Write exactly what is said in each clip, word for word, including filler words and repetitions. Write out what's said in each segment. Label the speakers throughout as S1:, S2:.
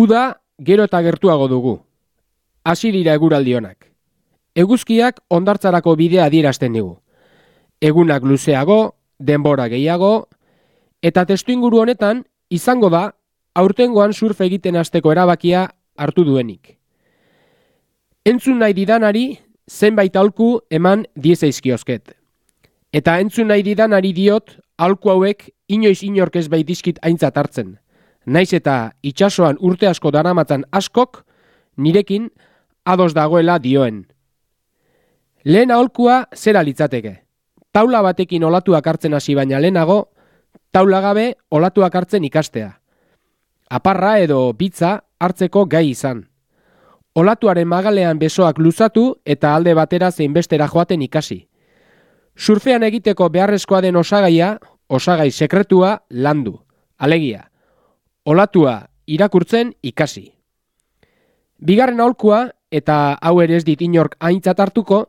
S1: Uda gero eta gertuago dugu. Hasi dira eguraldi onak. Eguzkiak hondartzarako bidea adierazten digu. Egunak luzeago, denbora gehiago, eta testuinguru honetan izango da aurtengoan surf egiten hasteko erabakia hartu duenik. Entzun nahi didanari zenbait aholku eman diezaizkiozket. Eta entzun nahi didanari diot aholku hauek inoiz inork ez baitizkit aintzat hartzen. Naiz eta itsasoan urte asko daramatzan askok nirekin ados dagoela dioen. Lehen aholkua zera litzateke. Taula batekin olatuak hartzen hasi baina lehenago, taula gabe olatuak hartzen ikastea. Aparra edo bitza hartzeko gai izan. Olatuaren magalean besoak luzatu eta alde batera zein bestera joaten ikasi. Surfean egiteko beharrezkoa den osagaia, osagai sekretua landu. Alegia, olatua irakurtzen ikasi. Bigarren aholkua, eta hau ere ez dit inork aintzat hartuko,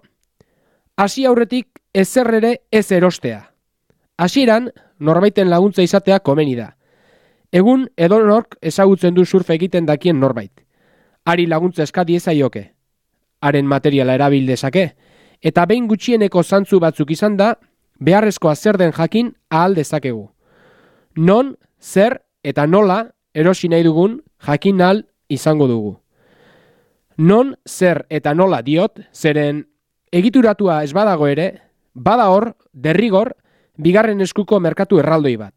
S1: hasi aurretik ezer ere ez erostea. Hasieran norbaiten laguntza izatea komeni da. Egun edonork ezagutzen du surf egiten dakien norbait. Hari laguntza eska diezaioke. Haren materiala erabil dezake, eta behin gutxieneko zantzu batzuk izan da, beharrezkoa zer den jakin ahal dezakegu. Non, zer eta nola erosi nahi dugun jakin ahal izango dugu. Non, zer eta nola diot, zeren egituratua ez badago ere, bada hor, derrigor, bigarren eskuko merkatu erraldoi bat.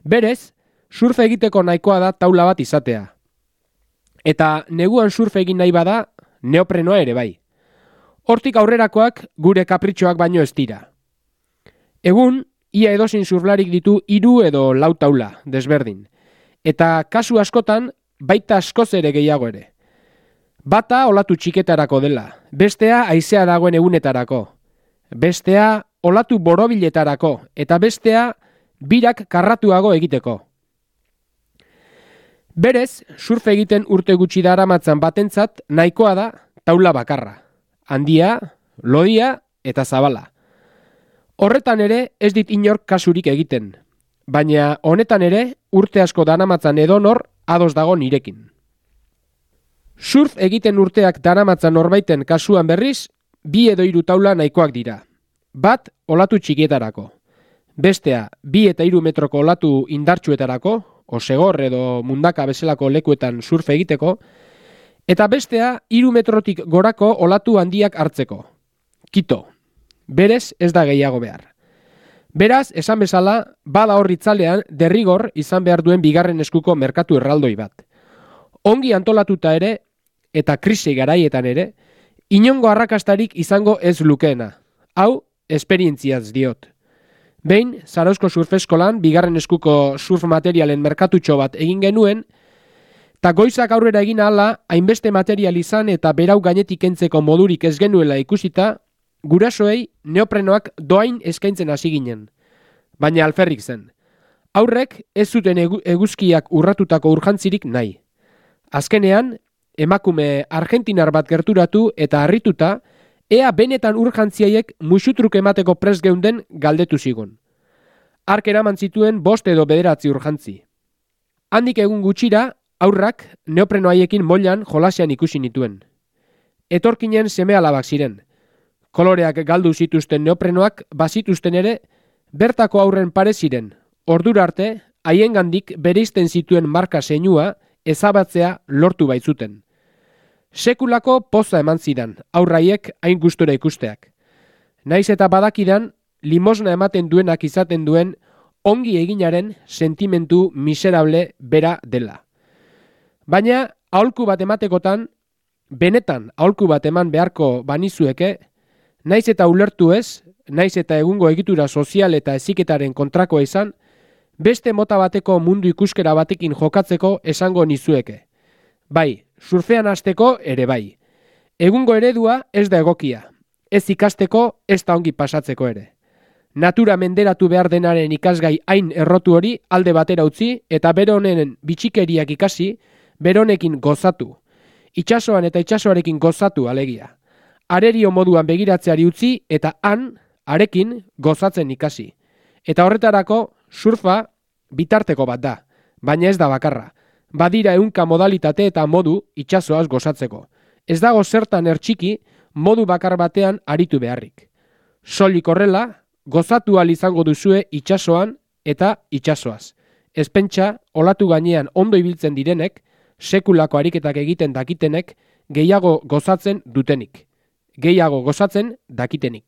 S1: Berez, surf egiteko nahikoa da taula bat izatea. Eta neguan surf egin nahi bada, neoprenoa ere bai. Hortik aurrerakoak gure kapritxoak baino ez dira. Egun, ia edozein surflarik ditu hiru edo lau taula, desberdin. Eta kasu askotan, baita askoz ere gehiago ere. Bata olatu txiketarako dela, bestea haizea dagoen egunetarako. Bestea olatu borobiletarako, eta bestea birak karratuago egiteko. Berez, surf egiten urte gutxi daramatzan batentzat nahikoa da taula bakarra. Handia, lodia eta zabala. Horretan ere ez dit inork kasurik egiten, baina honetan ere urte asko daramatzan edonor ados dago nirekin. Surf egiten urteak daramatzan norbaiten kasuan berriz, bi edo hiru taula nahikoak dira. Bat olatu txikietarako. Bestea bi eta hiru metroko olatu indartsuetarako, osegor edo mundaka bezalako lekuetan surf egiteko, eta bestea hiru metrotik gorako olatu handiak hartzeko. Kito. Berez ez da gehiago behar. Beraz, esan bezala, bada hor itzalean derrigor izan behar duen bigarren eskuko merkatu erraldoi bat. Ongi antolatuta ere, eta krisi garaietan ere, inongo arrakastarik izango ez lukeena. Hau, esperientziaz diot. Behin, Zarauzko surfeskolan bigarren eskuko surf materialen merkatutxo bat egin genuen, eta goizak aurrera egin ahala, hainbeste material izan eta berau gainetik kentzeko modurik ez genuela ikusita, gurasoei neoprenoak doain eskaintzen hasi ginen. Baina alferrik zen. Aurrek ez zuten egu, eguzkiak urratutako urjantzirik nahi. Azkenean, emakume argentinar bat gerturatu eta harrituta, ea benetan urjantziaiek musutruk emateko prest geunden galdetu zigun. Hark eraman zituen bost edo bederatzi urjantzi. Handik egun gutxira, aurrak neoprenoaiekin moilan jolasean ikusi nituen. Etorkinen seme-alabak ziren. Koloreak galdu zituzten neoprenoak bazituzten ere, bertako aurren pare ziren. Ordura arte, haiengandik bereizten zituen marka zeinua ezabatzea lortu baitzuten. Sekulako poza eman zidan, aurraiek hain gustura ikusteak. Naiz eta badakidan, limosna ematen duenak izaten duen ongi eginaren sentimentu miserable bera dela. Baina, aholku bat ematekotan, benetan aholku bat eman beharko banizueke, naiz eta ulertu ez, naiz eta egungo egitura sozial eta heziketaren kontrakoa izan, beste mota bateko mundu ikuskera batekin jokatzeko esango nizueke. Bai, surfean hasteko ere bai. Egungo eredua ez da egokia. Ez ikasteko, ez da ongi pasatzeko ere. Natura menderatu behar denaren ikasgai hain errotu hori alde batera utzi eta bere honen bitxikeriak ikasi, bere honekin gozatu. Itsasoan eta itsasoarekin gozatu alegia. Arerio moduan begiratzeari utzi eta han, arekin, gozatzen ikasi. Eta horretarako surfa bitarteko bat da, baina ez da bakarra. Badira ehunka modalitate eta modu itsasoaz gozatzeko. Ez dago zertan ertxiki modu bakar batean aritu beharrik. Soilik horrela, gozatu ahal izango duzue itsasoan eta itsasoaz. Ez pentsa, olatu gainean ondo ibiltzen direnek, sekulako ariketak egiten dakitenek, gehiago gozatzen dutenik. Gehiago gozatzen dakitenik.